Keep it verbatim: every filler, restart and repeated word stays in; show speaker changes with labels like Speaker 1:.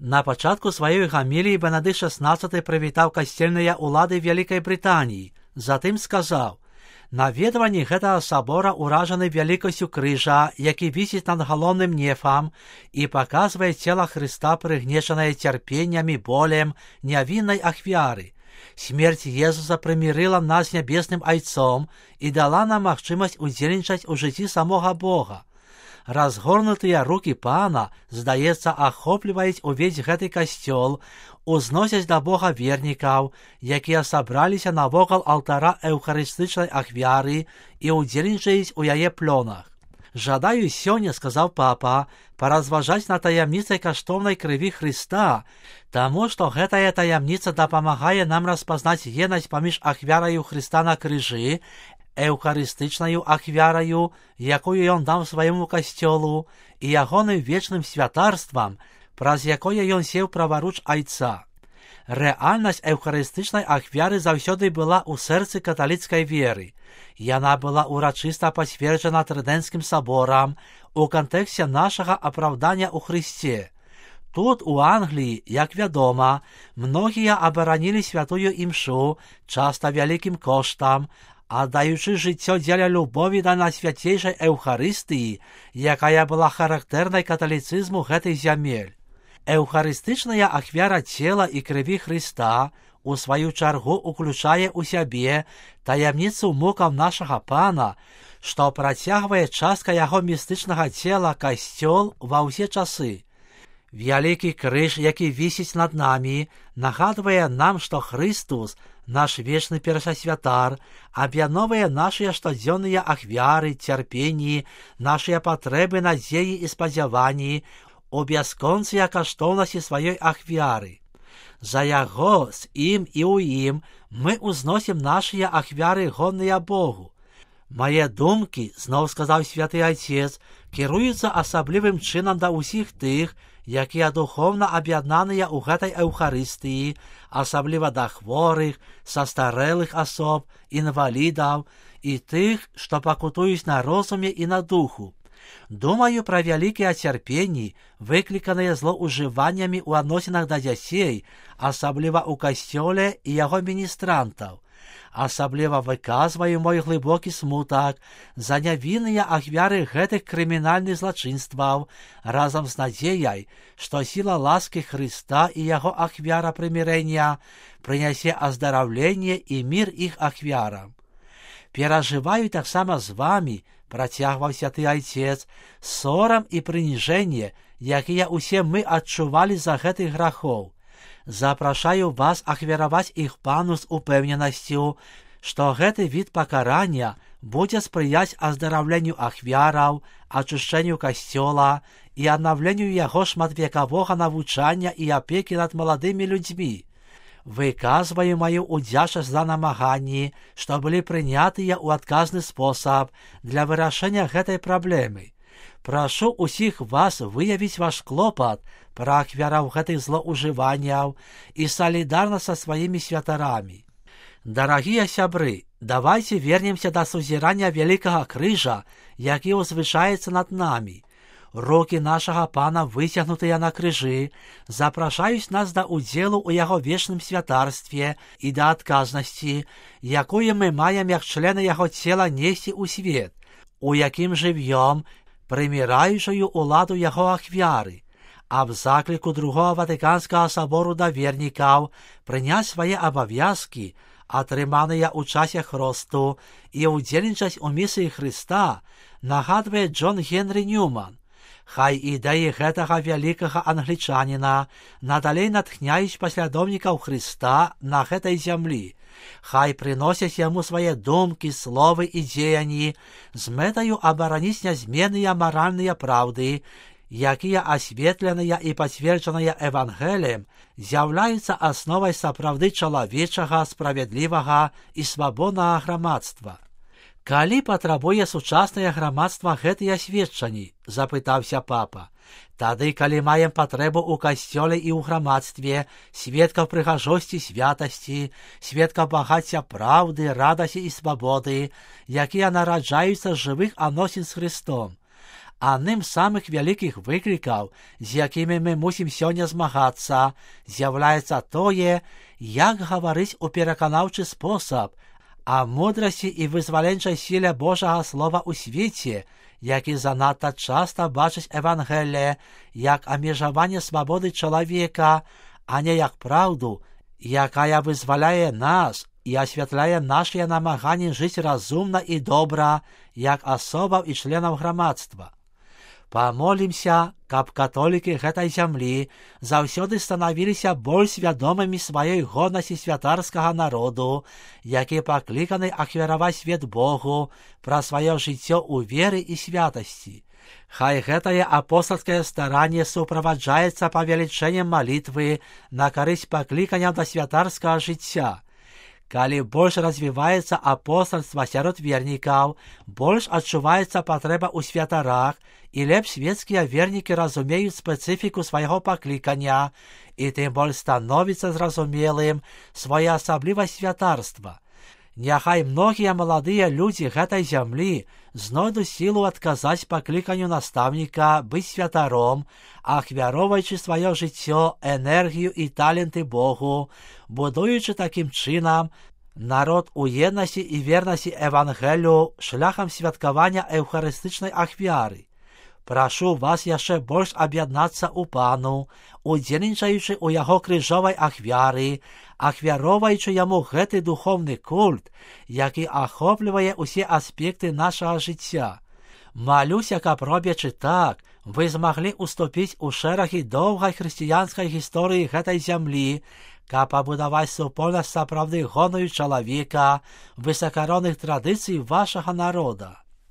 Speaker 1: На пачатку сваёй гаміліі Бенедыкт шаснаццаты прывітаў касцельныя ўлады Вялікай Брытаніі, затым сказаў: «Наведванні гэтага сабора ўражаны вялікасцю крыжа, які вісіць над галоўным нефам і паказвае цела Хрыста, прыгнечанае цярпеннямі, болем нявіннай ахвяры. Смерць Езуса прымірыла нас з нябесным Айцом і дала нам магчымасць удзельнічаць у жыцці самога Бога. Разгорнутыя рукі Пана, здаецца, ахопліваюць увесь гэты касцёл, узносяць да Бога вернікаў, якія сабраліся навокал алтара эўхарыстычнай ахвяры і ўдзельнічаюць у яе плёнах. Жадаю сёння, сказаў папа, паразважаць на таямніцай каштоўнай крыві Хрыста, таму што гэтая таямніца дапамагае нам распазнаць еднасць паміж ахвяраю Хрыста на крыжы, эўхарыстычнаю ахвяраю, якую ён даў свайму касцёлу, і ягоным вечным святарствам, праз якое ён сеў праваруч Айца. Рэальнасць эўхарыстычнай ахвяры заўсёды была ў сэрцы каталіцкай веры. Яна была ўрачыста пацверджана Трыдэнцкім саборам у кантэксце нашага апраўдання ў Хрысце. Тут, у Англіі, як вядома, многія абаранілі святую імшу, часта вялікім коштам, аддаючы жыццё дзеля любові да найсвяцейшай эўхарыстыі, якая была характэрнай каталіцызму гэтай зямель. Эўхарыстычная ахвяра цела і крыві Хрыста у сваю чаргу уключае ў сябе таямніцу мукаў нашага Пана, што працягвае частка яго містычнага цела касцёл ва ўсе часы. Вялікі крыж, які вісіць над намі, нагадвае нам, што Хрыстус, наш вечны першасвятар, аб'ядноўвае нашыя штодзённыя ахвяры, цярпенні, нашыя патрэбы, надзеі і спадзяванні у бясконцыя каштоўнасці сваёй ахвяры. За яго, з ім і ў ім мы ўзносім нашыя ахвяры гонныя Богу. Мае думкі, зноў сказаў святы Айцец, кіруюцца асаблівым чынам да ўсіх тых, якія духоўна аб'яднаныя ў гэтай эўхарыстыі, асабліва да хворых, састарэлых асоб, інвалідаў і тых, што пакутуюць на розуме і на духу. Думаю пра вялікія цярпенні, выкліканыя злоўжываннямі ў адносінах да дзяцей, асабліва ў касцёле і яго міністрантаў. Асабліва выказваю мой глыбокі смутак за нявінныя ахвяры гэтых крымінальных злачынстваў, разам з надзеяй, што сіла ласкі Хрыста і яго ахвяра прымірэння прынясе аздараўленне і мір іх ахвярам. Перажываю таксама з вамі, працягваў святы Айцец, сорам і прыніжэнне, якія ўсе мы адчувалі за гэтых грахоў. Запрашаю вас ахвяраваць іх Пану з упэўненасцю, што гэты від пакарання будзе спрыяць аздараўленню ахвяраў, ачышчэнню касцёла і аднаўленню яго шматвекавога навучання і апекі над маладымі людзьмі. Выказваю маю ўдзячнасць за намаганні, што былі прынятыя ў адказны спосаб для вырашэння гэтай праблемы. Прашу усіх вас выявіць ваш клопат пра ахвяраў гэтых злоўжыванняў і салідарна са сваімі святарамі. Дарагія сябры, давайце вернемся да сузірання вялікага крыжа, які ўзвышаецца над намі. Рукі нашага Пана, выцягнутыя на крыжы, запрашаюць нас да ўдзелу ў яго вечным святарстве і да адказнасці, якую мы маем як члены яго цела несці ў свет, у якім жывём, прыміраючую ўладу яго ахвяры, а в закліку другого Ватыканскага сабору да вернікаў прыняць свае абавязкі, атрыманыя ў часе хросту, і ўдзельнічаць у місіі Хрыста, нагадвае Джон Генрі Ньюман. Хай ідэі гэтага вялікага англічаніна надалей натхняюць паслядоўнікаў Хрыста на гэтай зямлі. Хай прыносяць яму свае думкі, словы і дзеянні з мэтаю абараніць нязменныя маральныя праўды, якія асветленыя і пацверджаныя Евангеліем з'яўляюцца асновай сапраўды чалавечага, справядлівага і свабоднага грамадства. Калі патрабуе сучаснае грамадства гэтыя сведчанні, запытаўся папа, тады, калі маем патрэбу ў касцёле і ў грамадстве, сведкаў прыгажосці, святасці, сведкаў багацця праўды, радасці і свабоды, якія нараджаюцца з жывых адносін з Хрыстом. Одним з самих великих викликів, з якими ми мусимо сьогодні змагатися, з'являється тоє, як говорить у переконавчий спосіб, а мудрості і визволенчій силі Божого Слова у світі, які занадто часто бачать Евангеліє як обмежування свободи чоловіка, а не як правду, яка визволяє нас і освітляє наші намагання жити розумно і добре, як особа і членів громадства. Помолимся, каб католики гэтай зямлі заўсёды становилися больш свядомымі сваёй годнасці святарскага народу, які пакліканы ахвяраваць свет Богу пра сваё жыццё ў веры і святасці. Хай гэтае апостольскае старанне суправаджаецца павелічэннем малітвы на карысць паклікання да святарскага жыцця. Калі больш развіваецца апостольства сярод вернікаў, больш адчуваецца патрэба ў святарах, і лепш светскія вернікі разумеюць спецыфіку свайго паклікання, і тым больш становіцца зразумелым своеасаблівасць святарства. Няхай многія маладыя людзі гэтай зямлі знойдуць сілу адказаць пакліканню настаўніка быць святаром, ахвяроўваючы сваё жыццё, энергію і таленты Богу, будуючы такім чынам народ у еднасці і вернасці Евангелію шляхам святкавання эўхарыстычнай ахвяры. Прашу вас яшчэ больш аб'яднацца ў Пану, удзельнічаючы ў яго крыжовай ахвяры, ахвяроўваючы яму гэты духовны культ, які ахоплівае ўсе аспекты нашага жыцця. Малюся, каб робячы так, вы змаглі уступіць у шэрагі доўгай хрысціянскай гісторыі гэтай зямлі, каб пабудаваць супольнасць сапраўды гонную чалавека, высакаронных традыцый вашага народа.